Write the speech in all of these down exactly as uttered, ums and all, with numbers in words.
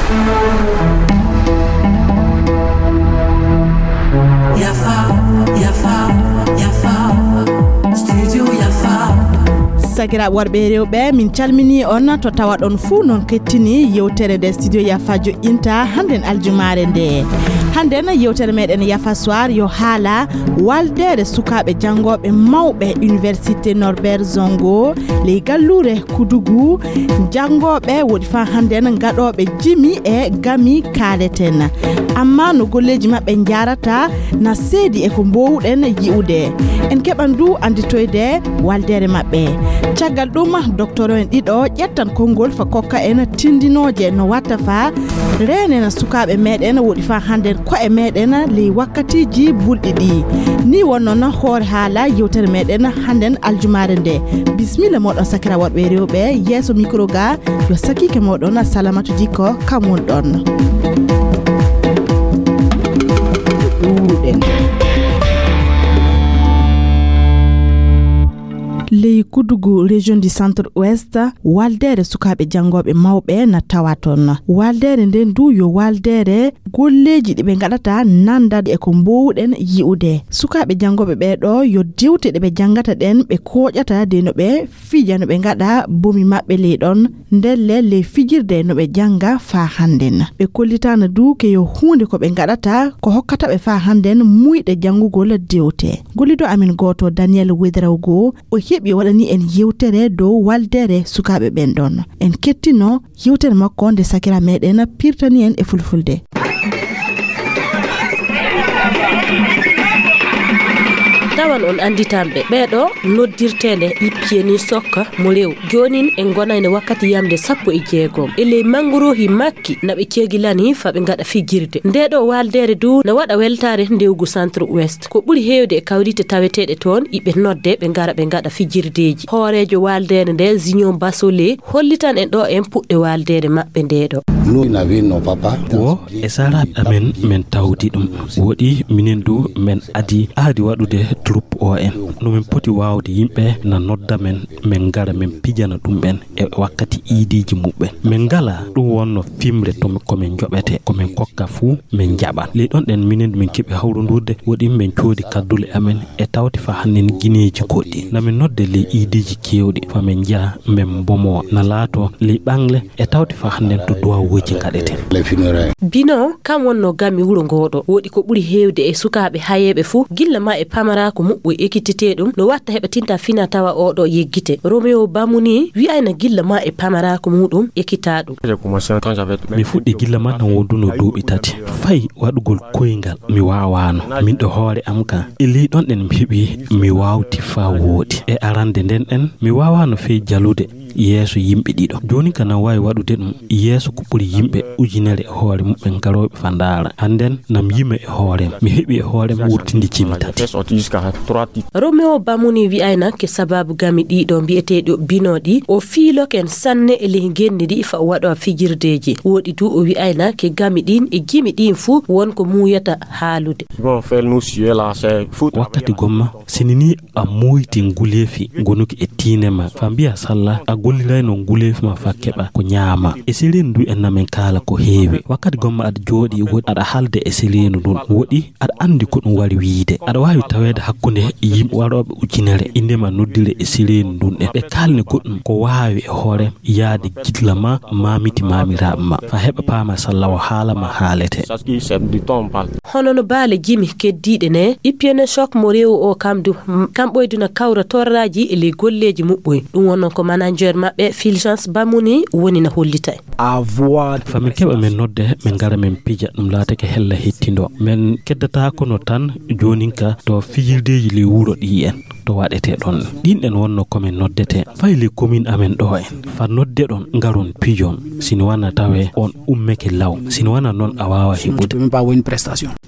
Yafa, yafa, yafa, studio yafa. Sakiraaɓe worɓe e rewɓe, min calminii on to tawaɗon fuu, noon kettini yewtere nde studio yafa joƴƴinta hannden aljumaare nde. Hannden yewtere meɗen yafa soir yo haala waldeere sukaaɓe janngooɓe mawɓe université Norbert Zongo ley galluure Kudugu. Janngooɓe woɗi faa hannden gaɗooɓe jimi e gami kaaleten. Amma no golleeji maɓɓe njaarata na seedi e ko mboowuɗen yi'ude. En keɓan du annditoyde waldeere maɓɓe. Caggal ɗum, doktoro en ɗiɗo ƴettan konngol fa kokka en tindinooje no watta fa reenen sukaaɓe meɗen woɗi fa hannden ko'e meɗen ley wakkatiiji bulɗi ɗi. Ni wonno na hoore haala yewtere meɗen hannden aljumaare nde. Bismilla moɗon sakira worɓe e rewɓe yeeso mikro ga yo sakiike moɗon Salamatu Dikko kam won ɗon. Ɗuuɗen. Ley Kudugu, région du centre ouest, waldeere sukaaɓe janngooɓe mawɓe na tawa toon. Waldeere nden du yo waldeere golleeji ɗi ɓe ngaɗata nandade e ko mboowuɗen yi'ude. Sukaaɓe janngooɓe ɓee ɗo yo dewte ɗe ɓe janngata ɗen ɓe kooƴata de no ɓe fija no ɓe ngaɗa bomi maɓɓe ley ɗon. Ndelle ley fijirde no ɓe jannga faa hannden. Ɓe kollitaana du ke yo huunde ko ɓe ngaɗata ko hokkata ɓe faa hannden muyɗe janngugol dewte. Gollido amin gooto Daniel Wedrawgo o heɓi o waɗani en yewtere dow waldeere sukaaɓe ɓen ɗon. En kettino yewtere makko nde sakira meɗen pirtani en e fulfulde. Tawan on annditanɓe ɓeeɗo noddirteende ippieni sokka mo rew. Joonin en ngonayno wakkati yamde sappo e jeegom. E ley mannguruuhi makki na ɓe cegilani fa ɓe ngaɗa fijirde. Ndeeɗo waaldeere du na waɗa weltaare ndewgu Centre Ouest. Ko ɓuri heewde e kawrite taweteeɗe toon, iɓe nodde ɓe ngara ɓe ngaɗa fijirdeeji. Hooreejo waaldeere nde, Zignon Basole, hollitan en ɗo en puɗɗe waaldeere maɓɓe ndeeɗo. Wo e saraaɓe amen men tawdi ɗum. Woɗi minen du men adi aadi waɗude troupe o en. No min poti waawde yimɓe na nodda men, men ngara men pijana ɗum en e wakkati iidiiji muɓɓen. Min ngalaa ɗum wonno fimre to ko min njoɓete, ko min kokka fuu min njaɓan. Ley ɗon ɗen minen min keɓi hawrondurde, woɗi min coodi kaddule amen e tawti fa hannden gineeji goɗɗi. Na min nodde ley iidiiji keewɗi fa min njaha min mbomowa. Na laato ley ɓaŋle e tawti fa hannden to duwawuuji ngaɗeten. Bino kam wonno gami wuro ngooɗo. Woɗi ko ɓuri heewde e sukaaɓe hayeeɓe fuu, gilla ma e pamaraaku muɓɓoy ekkitetee ɗum, no watta heɓa tinta fina tawa oo ɗo yeggite. Roméo Bamuni wi'ayna gilla ma e pamaraaku muuɗum ekkitaa ɗum. Mi fuɗɗi gilla ma na wonduno duuɓi tati. Fay waɗugol koyngal mi waawaano. Min ɗo hoore am ka. E ley ɗon ɗen mi heɓi mi waawti faa wooɗi. E arande nden ɗen mi waawaano fey jalude yeeso yimɓe ɗiɗo. Jooni ka na waawi waɗude ɗum yeeso ko ɓuri yimɓe ujunere e hoore muɓɓen garooɓe fa ndaara. Hannden na mi yima e hoore am. Mi heɓi e hoore am wurtinde jimi tati. Roméo Bamuni wi'ayna ke sababu gami ɗiɗo mbi'eteeɗo Bino ɗi o fiiloken sanne e ley ngenndi ndi fa o waɗo fijirdeeji. Woɗi du o wi'ayna ke gami ɗin e jimi ɗin fuu won ko muuyata haalude. Wakkati gomma, sini ni a moyti nguleefi gonuki e tiine ma, fa mbiya salla a gollirayno nguleefi ma fa keɓa ko ñaama. E sireenu ndu en na min kaala ko heewi. Wakkati gomma aɗa jooɗi woɗi aɗa haalde e sireenu ndun. Woɗi aɗa anndi ko ɗum wari wiyde. Aɗa waawi taweede hakkunde yimɓe warooɓe ujunere, innde ma noddire e sireenu ndun ɗen. Ɓe kaalni goɗɗum ko waawi e hoore yaade gilla ma, maamiti maamiraaɓe ma. Fa heɓa paama salla o haala ma haalete. Hono no baale jimi keddiiɗe ne, Ipiene Choc mo rewo o kam du, m-, kam ɓoyduna kawra torraaji e ley golleeji muɓɓoy. Ɗum wonno ko manager maɓɓe, Fulgence Bamuni, woni na hollita en. Fa min keɓa min nodde, min ngara min pija, ɗum laatake hella hettindo. Min keddataako no tan joonin ka to fijirdeeji ley wuro ɗi en, to waɗetee ɗon. Ɗin ɗen wonno ko min noddetee. Fay ley commune amen ɗo en. Fa nodde ɗon, ngaron pijon. Sini wana tawe on ummeke law. Sini wana non a waawa heɓude.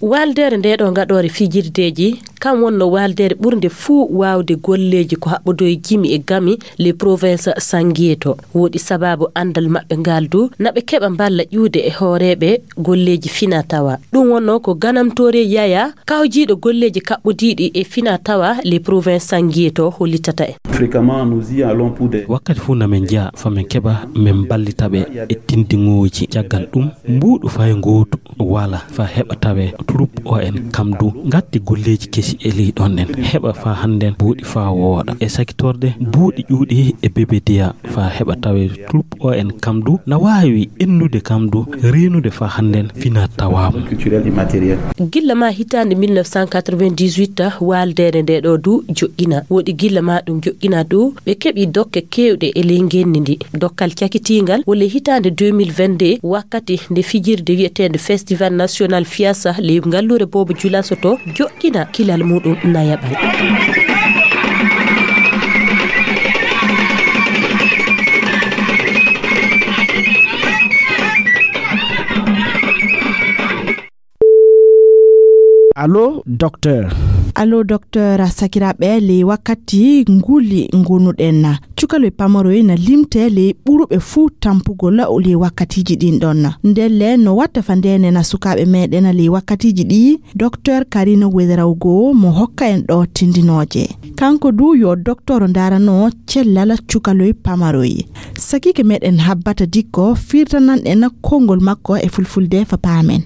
Waaldeere nde ɗo ngaɗoore fijirdeeji, Kam wonno waaldeere ɓurnde fuu waawde golleeji ko haɓɓodoo e jimi e gami les provinces sanguier to. Woɗi sababu anndal maɓɓe ngal du, na ɓe keɓa mballa ƴuude e hooreeɓe golleeji fina tawa. Ɗum wonno ko ganamtoore yaya kawjiiɗo golleeji kaɓɓodiiɗi e fina tawa les provinces sanguier to hollitata en. Fréquemment, nous y allons pour des wakkati fuu na min njiya fa min keɓa min mballita ɓe e tindiŋooji. Caggal ɗum, mbuuɗu fay ngootu wala fa heɓa tawe troupe O N kam du ngatti golleeji kesi e ley ɗon ɗen. Heɓa fa hannden buuɗi fa wooɗa. E sakitorde buuɗi ƴuuɗi e bebediya fa heɓa tawe troupe O N kam du na waawi ennude kam du reenude fa hannden fina tawaamu. Culturel immatériel. Gilla ma hitaande mille neuf cent quatre-vingt-dix-huit, waaldeere nde ɗo du joƴƴina. Woɗi gilla ma ɗum joƴƴina du, ɓe keɓi dokke keewɗe e ley ngenndi ndi. Dokkal cakitiingal wole hitaande deux mille vingt-deux, wakkati nde fijirde wiyeteende Festival National Fiasa ley ngalluure Boobo Julaso to joƴƴina kilal muɗum nayaɓal. Allo, docteur. Allo, docteur, sakiraaɓe, ley wakkati nguli ngonuɗen. Cukaloy pamaroy na limte ley ɓuruɓe fuu tampugol ley wakkatiiji ɗin ɗon. Ndelle no watta fa ndeenena sukaaɓe meɗen ley wakkatiiji ɗi, docteur Karina Wedrawgo mo hokka en ɗo tindinooje. Kanko du yo docteur ndaarano cellal cukaloy pamaroy. Sakiike meɗen Habbata Dikko firtanan en konngol makko e fulfulde fa paamen.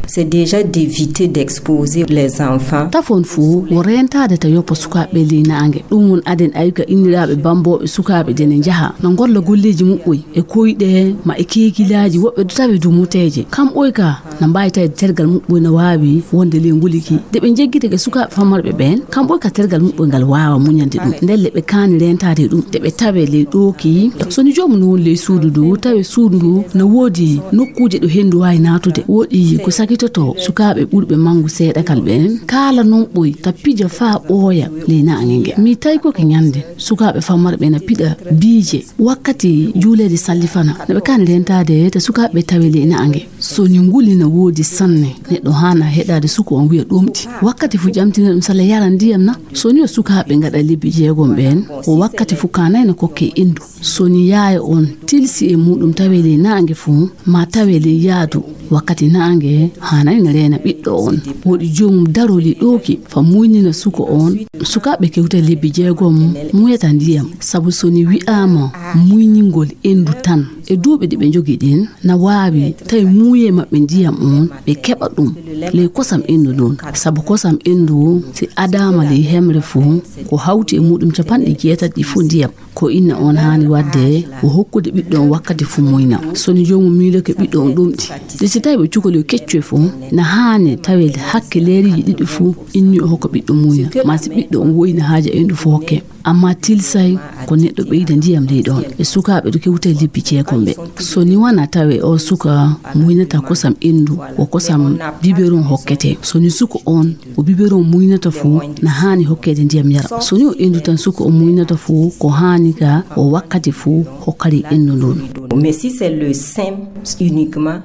C'est déjà d'éviter d'exposer les enfants. Tafon fuu wo reentaade ta yoppa sukaaɓe ley naange. Ɗum won aden ayga inniraaɓe bambooɓe sukaaɓe de ne njaha na ngolla golleeji muɓɓoy e koyɗe ma e keekilaaji, woɓɓe du tawi du muteeje. Kam ɓoy ka na mbaawi tawde tergal muɓɓoy na waawi wonde ley nguli ki. De ɓe njeggitake sukaaɓe famarɓe ɓeen, kam ɓoy ka tergal muɓɓoy ngal waawa muñande ɗum. Ndelle ɓe kaani reentaade ɗum, de ɓe tawe ley ɗooki. So ni joomum no woni ley suudu ndu, tawe suudu ndu na woodi nokkuuje ɗo henndu waawi naatude. Woɗi ko sakitotoo sukaaɓe ɓurɓe manngu seeɗakal ɓeen, kaala non ɓoy ta pija faa ɓooya ley naange nge. Mi tawi ko ke ñande sukaaɓe famarɓe na piɗa biije wakkati juuleede sallifana, na ɓe kaani reentaade ta sukaaɓe tawe ley naange. So ni nguli na woodi sanne, neɗɗo haana heɗaade suko on wiya ɗomɗi. Wakkati fu ƴamtina ɗum sala yara ndiyam na. So ni o sukaaɓe ngaɗa lebbi jeegom ɓeen, o wakkati fu kaanay na kokke endu. So ni yaaya on tilsi e muɗum tawe ley naange fu, ma tawe ley yaadu, wakkati naange haanay na reena ɓiɗɗo on. Woɗi joomum daro ley ɗooki fa muynina suko on. Sukaaɓe kewta lebbi jeegom muyata ndiyam, sabu so ni wi'aama muyningol endu tan, e duuɓi ɗi ɓe njogi ɗin, na waawi tawi muuye maɓɓe ndiyam on, ɓe keɓa ɗum ley kosam endu ndun. Sabu kosam endu, si adaama ley hemre fu, ko hawti e muɗum capanɗe jeetati ɗi fu ndiyam. Ko inna on haani waɗde, ko hokkude ɓiɗɗo on wakkati fu muyna. So ni joomum miiloke ɓiɗɗo on ɗomɗi, de si tawi ɓe cukaloy keccoy fu, na haani tawe hakke leeriiji ɗiɗi fu, inni o hokka ɓiɗɗo muyna. Ma si ɓiɗɗo on woyna haaja endu fu hokke. Amma tilsay ko neɗɗo ɓeyda ndiyam ley ɗon. E sukaaɓe ɗo kewta e lebbi jeegom ɓe. So ni wana tawe o suka muynata kosam endu, o kosam biberon hokkete. So ni suko on o biberon muynata fu, na haani hokkeede ndiyam yara. So ni o endu tan suko o muynata fu, ko haani ka o wakkati fu hokkari endu ndun. Mais si c'est le sein uniquement.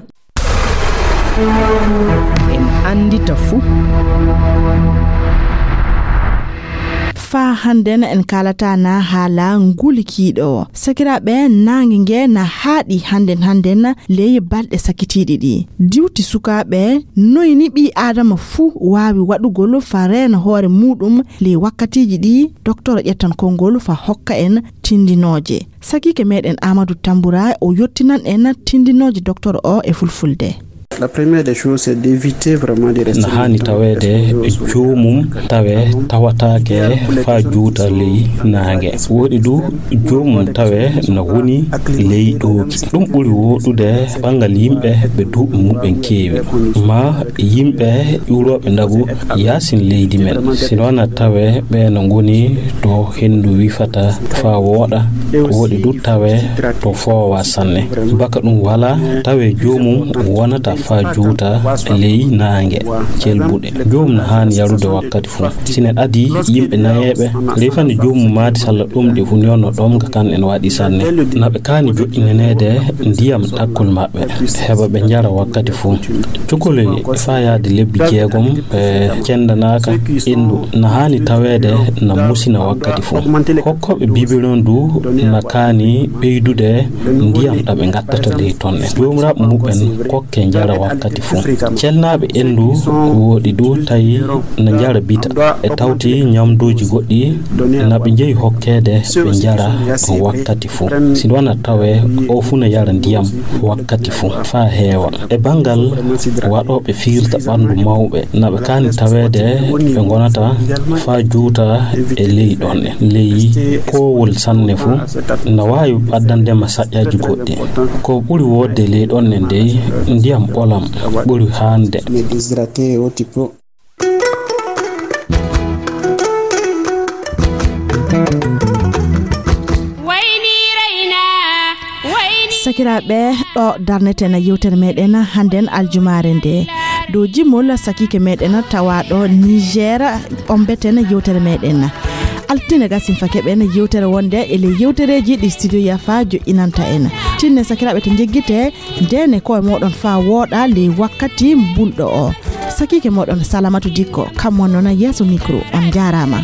En anndita fuu. Faa hannden en kaalata na haala nguli kiiɗo. Sakiraaɓe, naange nge na haaɗi hannden hannden ley balɗe sakitiiɗi ɗi. Diwti sukaaɓe, noy ni ɓii Aadama fuu waawi waɗugol faa reena hoore muuɗum ley wakkatiiji ɗi? Doktor ƴettan konngol faa hokka en tindinooje. Sakiike meɗen Aamadu Tambura o yottinan en tindinooje doktor o e fulfulde. La première des choses, c'est d'éviter vraiment de rester. Na haani taweede joomum tawe tawataake faa juuta ley naange. Woɗi du joomum tawe na woni ley ɗooki. Ɗum ɓuri wooɗude banngal yimɓe ɓe duuɓi mum'en keewi, ma yimɓe ƴuurooɓe ndagu yaasin leydi men. Si noon a tawe ɓe no ngoni to henndu wifata faa wooɗa, woɗi du tawe to foowa sanne. Baka ɗum walaa, tawe joomum wonata Faa juuta ley naange celbuɗe. Joomum na haani yarude wakkati fuu. Si neɗɗo adii yimɓe nayeeɓe, refani joomum maadi salla ɗomɗi fuu, ni wonno ɗomka kan en waɗi sanne. Na ɓe kaani joɗɗinaneede ndiyam ɗakkol maɓɓe, heɓa ɓe njara wakkati fuu. Cukoloy faa yaade lebbi jeegom ɓe cendanaaka enndu, na haani taweede na musina wakkati fuu. Hokkooɓe biberon du na kaani ɓeydude ndiyam ɗam ɓe ngattata ley ton en. Joomiraaɓe muɓɓen kokke njara wakkati fuu. Celnaaɓe enndu woɗi du tawi na njara bita. E tawti nyamduuji goɗɗi na ɓe njeyi hokkeede ɓe njara wakkati fuu. Si wona tawe o fuu na yara ndiyam wakkati fuu faa heewa. E banngal waɗooɓe fiirta ɓanndu mawɓe, na ɓe kaani taweede ɓe ngonata faa juuta e ley ɗon en. Ley koowol sanne fuu, na waawi ɓaddande ma saƴƴaaji goɗɗi. Ko ɓuri woodde ley ɗon en dey, ndiyam ɓolam ɓuri haande. Sakiraaɓe, ɗo darneten yewtere meɗen hannden aljumaare nde. Dow jimol sakiike meɗen tawaaɗo Niger, ɓombeten yewtere meɗen. Altine gasin fa keɓen yewtere wonde e ley yewtereeji ɗi Studio Yafa joƴƴinanta en. Tinne sakiraaɓe to njeggite, ndeene koye moɗon faa wooɗa ley wakkati mbunɗo o. Sakiike moɗon Salamatu Dikko, kam wonnoo yeeso micro. On njaaraama.